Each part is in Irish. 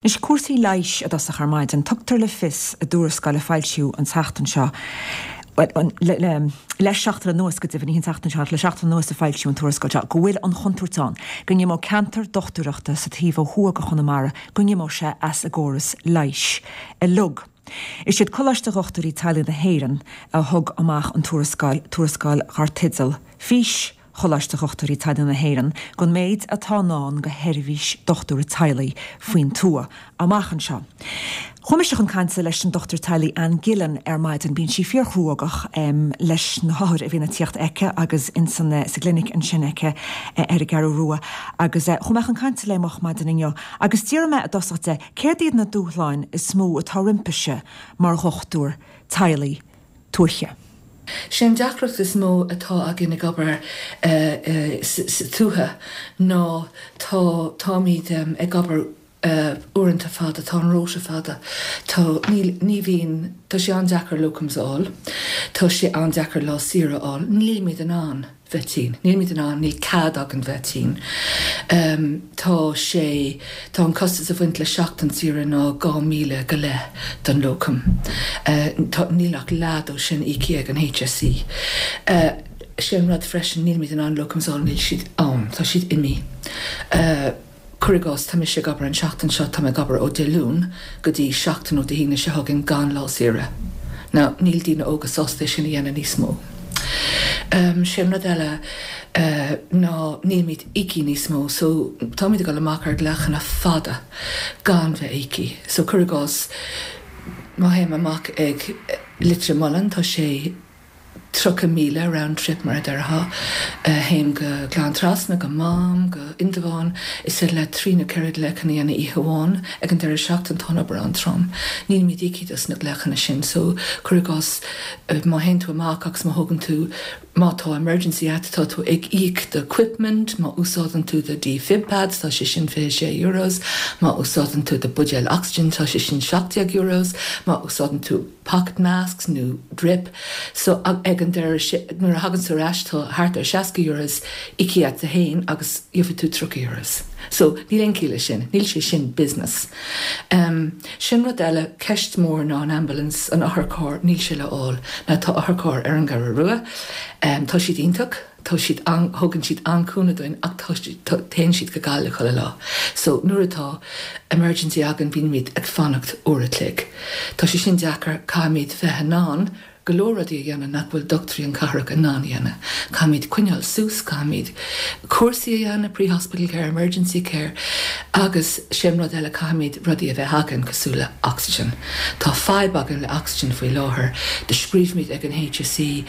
Anois cúrsaí leighis i dtosach ar maidin. Tugtar le fios i dtuarascáil a foilsíodh an tseachtain seo, bhuel, le seachtain anuas go deimhin, ní an tseachtain seo ach le seachtain anuas a foilsíodh an tuarascáil seo, go bhfuil an chontúirt ann go n-imeodh ceantar dochtúireachta sa taobh ó thuaidh de Chonamara, go n-imeodh sé as an gcóras leighis uilig. Is iad Coláiste Dhochtúirí Teaghlaigh na hÉireann a thug amach an tuarascáil, tuarascáil dar teideal Fís. Choláiste Dhochtúirí Teaghlaigh na hÉireann don méid atá i ndán do sheirbhís dochtúra teaghlaigh faoin tuath amach anseo. Chuaigh mise chun cainte leis an dochtúir teaghlaigh Anne Gillen ar maidin. Bíonn sí fíorchruógach leis na hothair a bhíonn ag tíocht aici agus insan sa gclinic ansin aici ar an gCeathrú Rua agus chuaigh mé chun cainte léi moch maidin inniu agus d'fhiafraigh mé i dtosach de céard iad na dúshláin is mó atá roimpise mar dhochtúir teaghlaigh tuaithe. Sé an deacracht is mó atá againn ag obair sa tuaithe ná tá, táimid ag obair uaireanta fada, tá an rota fada, tá, níl, ní bhíonn, tá sé an-deacair locums a fháil, tá sé an-deacair lá saoire a fháil, nílimid in ann. bheith tinn. Nílimid in ann, níl cead againn bheith tinn. Tá sé, tá an costas a bhaint le seachtain saoire ná 2,000 go leith don locum. Tá, níl ach leath dó sin íoctha ag an HSE. Sé an rud freisin, nílimid in ann locums a fháil, níl siad ann, tá siad imithe. Cuir i gcás, tá mise ag obair an seachtain seo, tá mé ag obair ó Dé Luain go dtí seachtain ó Dé hAoine seo chugainn gan lá saoire. Now, níl daoine óga sásta é sin a dhéanamh níos mó. Sé an rud eile ná nílimid íoctha níos mó, so táimid ag dul amach ar ghlaochanna fada gan bheith íoctha. So cuir i gcás, má théim amach ag Leitir Mealláin, tá sé. 30 míle round trip mar a déarfá. Théim go Gleann Trasna, go Mám, go Indreabhán. Is féidir leat trí nó ceithre glaochanna a dhéanamh oíche amháin. Ag an deireadh seachtaine tá an obair an-trom. Nílimid íoctha dos na glaochanna sin so cuir i gcás má théann tú amach agus má thógann tú, má tá emergency agat tá tú ag íoc do equipment, má úsáideann tú do defib pads tá sé sin 26 euros, má úsáideann tú do buidéal oxygen tá sé sin 17 euros, má úsáideann tú pocket masks nó drip so ag an deireadh nuair a thagann tú ar ais tá thart ar 60 euros íoctha agat féin agus gheobhaidh tú 30 euros. So níl aon chiall leis sin, níl sé sin business. Um sin rud eile, ceist mór ná an ambulance, an otharcharr, níl sé le fháil. Now tá otharcharr ar an gCeathrú Rua, um tá siad iontach, Tá siad an, thugann siad an-cúnamh dúinn ach tá, tá, téann siad go Gaillimh chuile lá. So nuair atá emergency againn bímid ag fanacht uair a chloig. Tá sé sin deacair, caithfimid bheith in ann go leor rudaí a dhéanamh nach bhfuil dochtúirí an cathrach in ann a dhéanamh. Caithfimid coinneáil suas, caithfimid cúrsaí a dhéanamh, pre-hospital care, emergency care agus sé an rud eile caithfimid rudaí a bheith againn cosúil le oxygen. Tá fadhb againn le oxygen faoi láthair. Do scríobhaimid ag an HSE,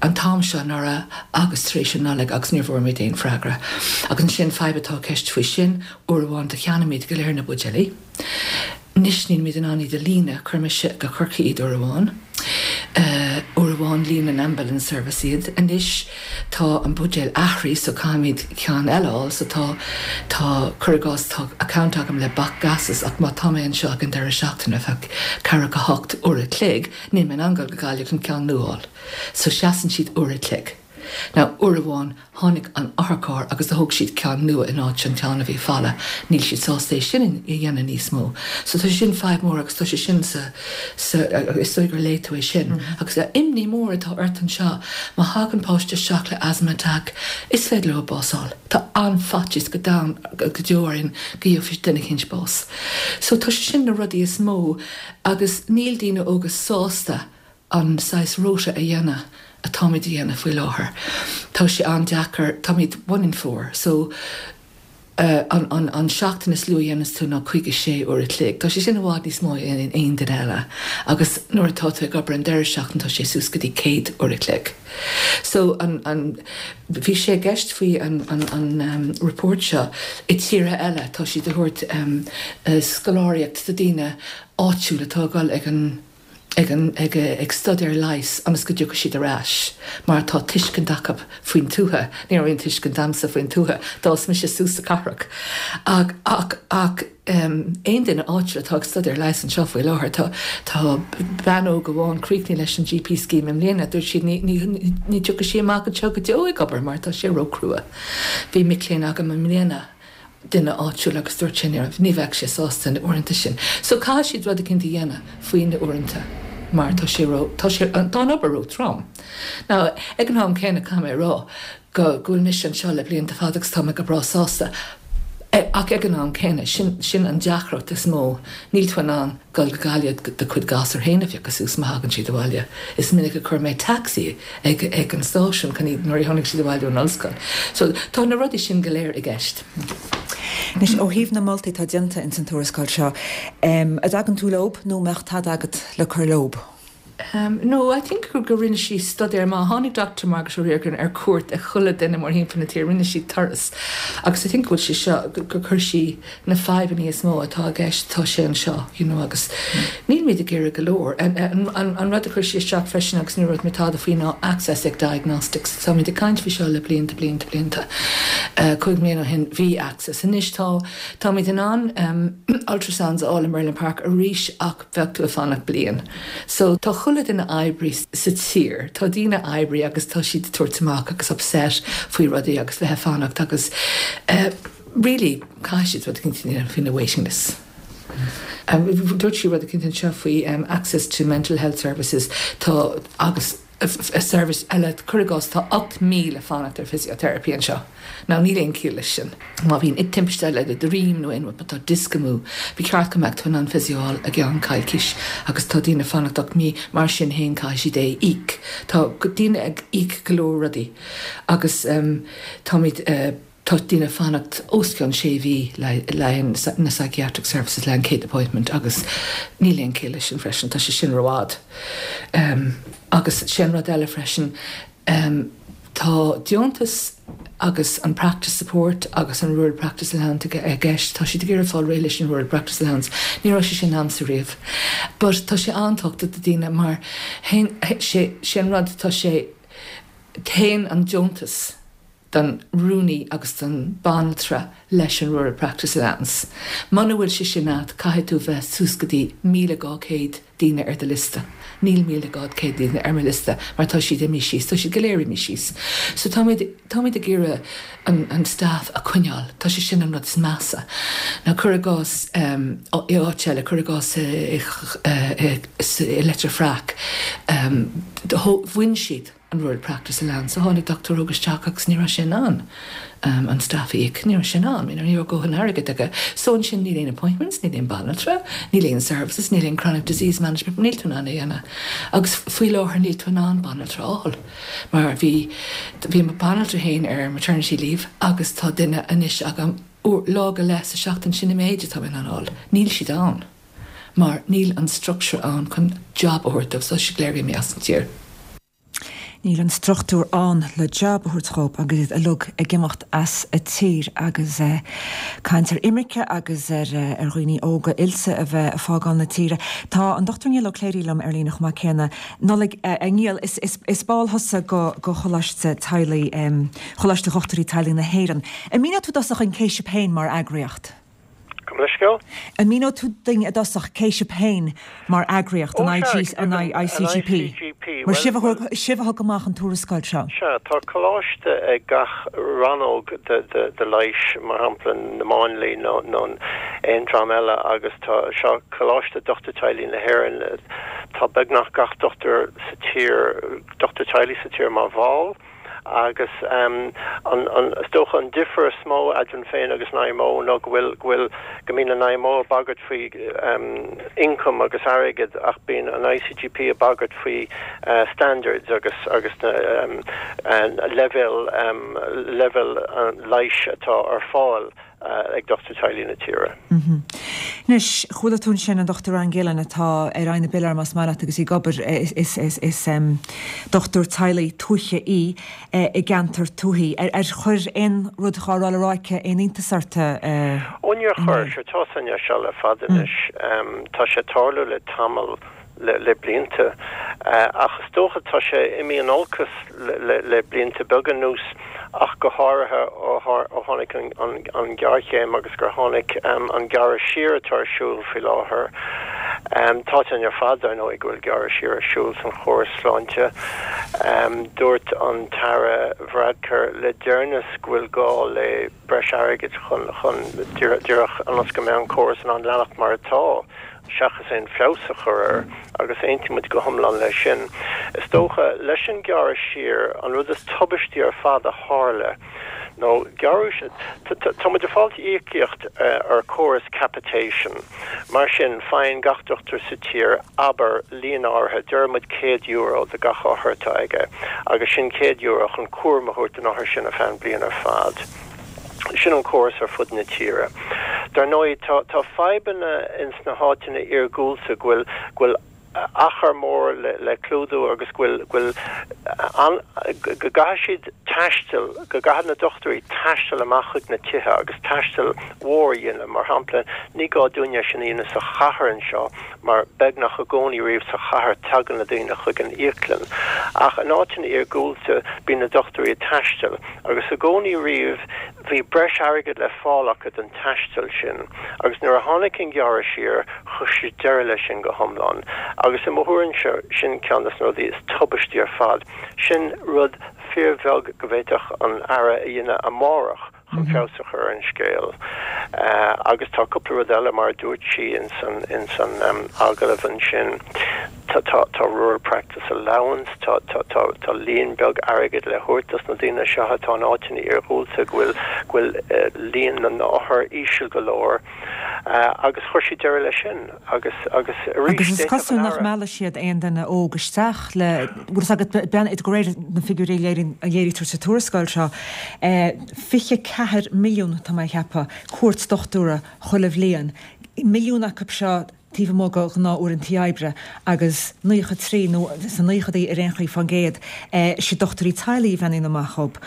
an t-am seo anuraidh agus tar éis an Nollaig agus níor bhfuair muid aon freagra. Agus ansin fadhb atá i gceist faoi sin, uair amháin do cheannaigh muid go léir na buidéilí. Anois níl muid in ann iad a líonadh, chuir mise go Corcaigh iad uair amháin. Uair amháin líon an ambulance service iad. Anois tá an buidéal athraithe so caithfimid ceann eile a fháil so tá, tá, cuir i gcás tá account agam le BAC Gases ach má tá mé anseo ag an deireadh seachtaine ar feadh ceathracha 8 uair a chloig, Níl mé in ann dul go Gaillimh chun ceann nua a fháil. So seasann siad uair a chloig. Now uair amháin tháinig an otharcharr agus do thóg siad ceann nua in áit an ceann a bhí folamh. Níl siad sásta é sin a dhéanamh níos mó. So tá sé sin fadhb mór agus tá sé sin sa, sa, is dóigh gur léigh tú é sin. Agus imní mór atá ort anseo má thagann páiste isteach le asthma attack is féidir leo bás fháil. Tá an-fhaitíos go domhain, go deo orainn go gheobhaidh duine eicínt bás. So tá sé sin na rudaí is mó. Agus níl daoine óga sásta an saghas rota a dhéanamh atáimid a dhéanamh faoi láthair. Tá sé an-deacair, táimid one in four, so an an an seachtain is lú a dhéanas tú ná 56 uair a chloig. Tá sé sin i bhfad níos mó ná aon duine eile. Agus nuair atá tú ag obair an deireadh seachtaine tá sé suas go dtí 100 uair a chloig. So an an bhí sé i gceist faoi an an an report seo i tíortha eile tá siad ag thabhairt scoláireacht do daoine áitiúil atá ag dul ag an ag an ag ag staidéar leighis ionas go dtiocfaidh siad ar ais mar tá tuiscint acu faoin tuaithe. Ní raibh aon tuiscint a'msa faoin tuaithe, d'fhás mise suas sa cathrach. Ach ach ach aon duine áitiúil atá ag staidéar leighis anseo faoi láthair, tá tá bean óg amháin críochnaithe leis an GP scheme i mbliana, dúirt siad ní ní ní tiocfaidh sí amach anseo go deo ag obair mar tá sé ró-chrua. Bhí mic léinn agam i mbliana. duine áitiúil agus dúirt sé ní raibh, ní bheadh sé sásta na uaireanta sin. So caithfidh siad rud eicínt a dhéanamh faoi na uaireanta mar tá sé ró, tá sé, tá an obair ró trom. Now ag an am céanna caithfidh mé a rá go, go bhfuil mise anseo le blianta fada agus tá mé go breá sásta ach ag an am céanna sin, sin an deacracht is mó, níl tú in ann dul go Gaillimh do chuid gasúr féin a phiocadh suas má thagann siad abhaile. Is minic a chuir mé taxi ag ag an stáisiún chun iad nuair a tháinig siad abhaile ón ollscoil. So tá na rudaí sin go léir i gceist. Anois, ó thaobh na moltaí atá déanta ins an tuarascáil seo, an dtagann tú leob nó an mbeadh tada agat le cur leob? No, I think gur rinne sí staidéar maith. Tháinig Doctor Margaret O'Riordan ar cuairt ag chuile duine mórthimpeall na tíre, rinne sí turas agus I think go bhfuil sé seo, gur chuir sí na fadhbanna is mó atá i gceist, tá sé anseo, you know, agus nílimid ag iarraidh go leor. An rud a chuir sí isteach freisin agus ní dúirt mé tada faoi ná access ag diagnostics. Táimid ag caint faoi seo le blianta, blianta, blianta. 5 mbliana ó shin bhí access. Anois tá, táimid in ann ultrasounds a fháil i Merlin Park arís ach bheadh tú ag fanacht bliain. So tá chuile duine oibrí sa tír, tá daoine oibrí agus tá siad ag tabhairt amach agus upset faoi rudaí agus bheith ag fanacht agus eh really caithfidh siad rud eicínt a dhéanamh faoi na waiting lists. Dúirt sí rud eicínt anseo faoi access to mental health services tá agus service eile, cuir i gcás tá 8 mí ag fanacht ar physiotherapy anseo. Now níl aon chiall leis sin. Má bhíonn timpiste le do dhroim nó aon rud, má tá disc amú, ba cheart go mbeadh tú in ann physio a fháil i gceann coicís agus tá daoine ag fanacht 8 mí, mar sin féin caithfidh siad é a íoc. Tá daoine ag íoc go leor rudaí agus táimid. Tá daoine ag fanacht os cionn sé mhí le haghaidh na psychiatric services le an chéad appointment agus níl aon chiall leis sin freisin, tá sé sin rófhada. Agus sé an rud eile freisin, tá deontas agus an practice support agus an rural practice allowance i gceist, tá siad ag iarraidh fáil réidh leis an rural practice allowance, ní raibh sé sin a'msa riamh. But tá sé an-tábhachtach do daoine mar sé sé an rud, tá sé, téann an deontas, don rúnaí agus don banaltra leis an Rural Practice Allowance. Muna bhfuil sé sin a't, caithfidh tú bheith suas go dtí 1,200 daoine ar do liosta. Níl 1,200 daoine ar mo liosta mar tá siad imithe síos, tá siad go léir imithe síos. So táimid, táimid ag iarraidh an, an staff a coinneáil. Tá sé sin an rud is measa. Now cuir i gcás, i áit eile, cuir i gcás i, i, i Leitir Fraic, bhain siad, an Rural Practice Allowance. So tháinig dochtúir óg isteach agus ní raibh sé in ann an staff a íoc. Ní raibh sé in ann, you know, ní raibh dóthain airgid aige. So ansin níl aon appointments, níl aon banaltra, níl aon services, níl aon chronic disease management, níl tú in ann é a dhéanamh. Agus faoi láthair níl tú in ann banaltra a fháil mar bhí, bhí mo banaltra féin ar maternity leave agus tá duine anois agam uair, lá go leith sa seachtain, sin an méid atá mé in ann a fháil. Níl siad ann mar níl an structure ann chun job a thabhairt dóibh, so tá siad go léir imithe as an tír. Níl an struchtúr ann le job a thabhairt dhób agus iad uilig ag imeacht as a tír agus caint ar imirce agus ar dhaoine óga oilte a bheith ag fágáil na tíre. Tá an Dr Niall Ó Cléirigh liom ar líne chomh maith céanna. Nollaig, a Niall, is ball thusa go Choláiste Teaghlaigh, Choláiste Dhochtúirí Teaghlaigh na hÉireann. An míneoidh tú i dtosach an cé sibh féin mar eagraíocht? Gabh mo leithscéal? An míneoidh tú duinn i dtosach cé sibh féin mar eagraíocht, an ICGP? Mar sibh a thug amach an tuarascáil seo. Sea, tá coláiste ag gach rannóg de leighis, mar shampla na máinliaigh nó aon dream eile agus tá seo Coláiste Dochtúir Teaghlaigh na hÉireann. Tá beagnach gach dochtúir sa tír, dochtúir teaghlaigh sa tír mar bhall. Agus an, is dócha an difear is mó eadrainn féin agus an IMO ná go bhfuil, go bhfuil, go mbíonn an IMO ag bagairt faoi ioncam agus airgead ach bíonn an ICGP ag bagairt faoi standards agus, agus na leibhéal, leibhéal leighis atá ar fáil. ag dochtúir teaghlaigh na tíre. Anois, chuala tú ansin an Dr Anne Gillen atá ar aghaidh na bpiléar más maith leat agus í ag obair, is dochtúir teaghlaigh tuaithe í i gceantar tuaithe. Ar chuir aon rud dhá raibh le rá aici aon iontas ort? Ó níor chuir, sure tá san seo le fada anois. Tá sé ag tarlú le tamall. le blianta. Ach is dócha tá sé imithe in olcas le blianta beaga anuas, ach go háirithe ó tháinig an ghéarchéim agus gur tháinig an gearradh siar atá ar siúl faoi láthair. Tá a fhios againn ar fad, dar ndóigh, go bhfuil gearradh siar ar siúl san chóras sláinte. Dúirt an tAire Varadkar le deireanas go bhfuil gá le breis airgid chun, chun, díreach ionas go mbeidh an córas in ann leanacht mar atá, seachas aon feabhas a chur air, agus aontaíonn muid go hiomlán leis sin. Is dócha, leis an ghearradh siar, an rud is tubaistí ar fad a tharla, nó gearradh, tá muid ag fáilt íocaíocht ar chóras capitation. Mar sin, faigheann gach dochtúir sa tír, abair, líon áirithe, deir muid €100 do gach othar atá aige, agus sin €100 chun cúram a thabhairt don othar sin ar feadh an bliain ar fad. Sin an córas ar fud na tíre. Dar ndóigh, tá, tá fadhbanna ins na háiteanna iargúlta go bhfuil, go bhfuil achar mór le, le clúdú agus go bhfuil, go bhfuil an, go gcaithfidh siad taisteal, go gcaithfidh na dochtúirí taisteal amach chuig na tithe agus taisteal mhór a dhéanamh. Mar shampla, ní gá dúinne é sin a dhéanamh sa chathair anseo mar beagnach i gcónaí riamh sa chathair tagann na daoine chuig an íoclann. Ach in áiteanna iargúlta bíonn na dochtúirí ag taisteal. Agus i gcónaí riamh bhí breis airgid le fáil acu don taisteal sin. Agus nuair a tháinig an gearradh siar, chuir siad deireadh leis sin go hiomlán. Agus i mo thuairimse, sin ceann des na rudaí is tubaistí ar fad. Sin rud fíorbheag go bhféadfadh an Aire a dhéanamh amárach chun feabhas a chur ar an scéal. Agus tá cúpla rud eile, mar a dúirt sí ins an, ins an agallamh ansin. Tá, tá, tá Rural Practice Allowance, tá, tá, tá, tá líon beag airgid le thabhairt dos na daoine seo atá in áiteanna iarghúlta go bhfuil, go bhfuil líon na n-othar íseal go leor. Agus chuir siad deireadh leis sin. Agus, agus arís, Agus is cosúil nach meallfaidh siad aon duine óg isteach le, bhfuil fhios agat, bean, de réir na figiúirí a léiríonn, a léirítear sa tuarascáil seo, 24 milliún, tá mé a cheapadh, cuairt dochtúra chuile bhliain. Milliún acu seo taobh amuigh de ghnáth-uaireantaí oibre agus 93, nó sna naochadaí ar aon chaoi, fán gcéad, is iad dochtúirí teaghlaigh a bhreathnaíonn amach dhób.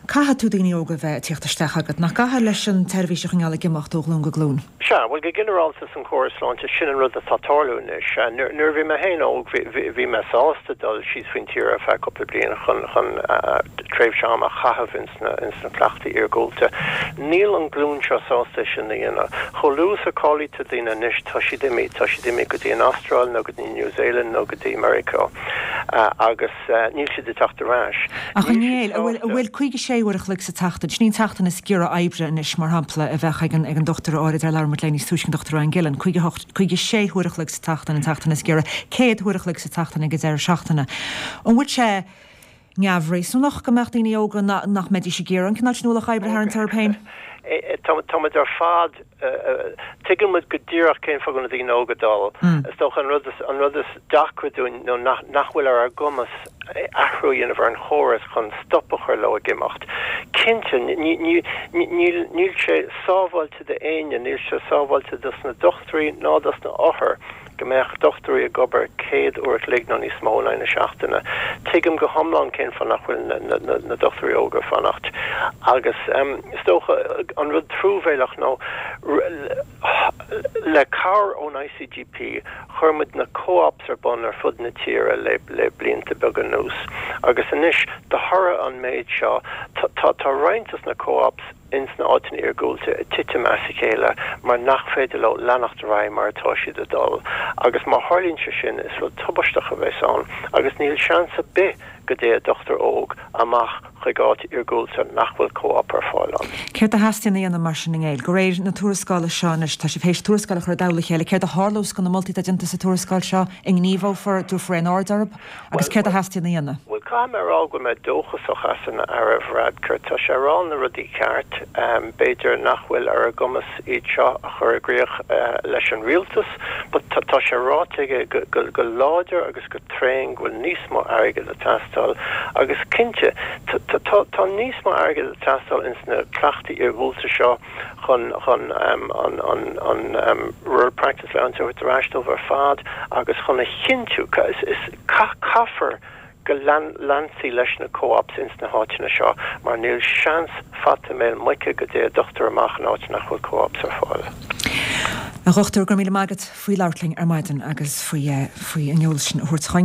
Caithfidh tú daoine óga a bheith ag tíocht isteach agat, nach gcaithfidh, leis an tseirbhís a choinneáil ag imeacht ó ghlúin go glúin? Sea, bhuel, go ginearálta san chóras sláinte, sin an rud atá ag tarlú anois. Nuair a bhí mé féin óg, bhí mé sásta dul síos faoin tír ar feadh cúpla bliain chun tréimhse ama a chaitheamh ins na cleachtaí iargúlta. Níl an glúin seo sásta é sin a dhéanamh. Chomh luath is a cáilítear daoine anois, tá siad imithe, tá siad imithe go dtí an Astráil nó go dtí New Zealand nó go dtí Meiriceá agus níl siad ag teacht ar ais. Ach a Néill, an bhfuil, an bhfuil 56 uair a chloig sa tseachtain, sin í an tseachtain is giorra oibre anois, mar shampla, a bheadh ag an, ag an dochtúir áirid ar labhair muid léi níos túisce, an Dr Anne Gillen, 58, 56 huair a chloig sa tseachtain an tseachtain is giorra, 100 huair a chloig sa tseachtain ag an deireadh seachtaine. An bhfuil sé neamhréasúnach go mbeadh daoine óga nach mbeidís ag iarraidh an cineál sin ualach oibre a tharraingt orthu féin? Tá muid ar fad, tuigeann muid go díreach cén fáth go bhfuil na daoine óga ag dul. Is dócha an rud is, an rud is deacra dúinn nó nach, nach bhfuil ar ár gcumas athrú a dhéanamh ar an chóras chun stop a chur leo ag imeacht. Cinnte, ní, ní, níl, níl sé sábháilte d'éinne, níl sé sábháilte dos na dochtúirí ná dos na othair. go mbeadh dochtúirí ag obair 100 uair a chloig nó níos mó in aghaidh na seachtaine. Tuigim go hiomlán cén fáth nach bhfuil na dochtúirí óga ag fanacht. Agus is dócha an rud truamhéalach nó le cabhair ón ICGP chuir muid na co-ops ar bun ar fud na tíre le blianta beaga anuas. Agus anois de thoradh an méid seo tá roinnt dos na co-ops ins na áiteanna iargúlta ag titim as a chéile mar nach féidir leo leanacht ar aghaidh mar atá siad ag dul agus má tharlaíonn sé sin is rud tubaisteach a bheas ann agus níl seans ar bith go dtéadh dochtúir óg amach chuig áit iargúlta nach bhfuil co-op ar fáil ann. Céard a theastaíonn a dhéanamh mar sin a Néill? De réir na tuarascála seo anois, tá sibh théis tuarascáil a chur i dtoll a chéile, céard a tharlós do na moltaí atá déanta sa tuarascáil seo? An ngníomhófar, dtabharfar aon aird orthu? Agus céard a theastaíonn a dhéanamh? Bhuel, caithfidh mé a rá go bhfuil mé dóchasach as an Aire Varadkar. Tá sé ag rá na rudaí ceart. B'fhéidir nach bhfuil ar a gcumas iad seo a chur i gcrích leis an rialtas, but tá sé ráite aige go láidir agus go tréan go bhfuil níos mó airgid ag teastáil. Agus cinnte, tá níos mó airgid ag teastáil ins na cleachtaí iargúlta seo. chun chun an an Rural Practice Allowance a thabhairt ar ais dóibh ar fad agus chun a chinntiú is caithfear go leanfaí leis na co-ops ins na háiteanna seo mar níl seans fata béal muice go dtéadh dochtúir amach in áit nach bhfuil co-ops ar fáil. A Dhochtúir, go raibh míle maith agat faoi labhairt linn ar maidin agus faoi faoi an eolas sin a thabhairt chugainn.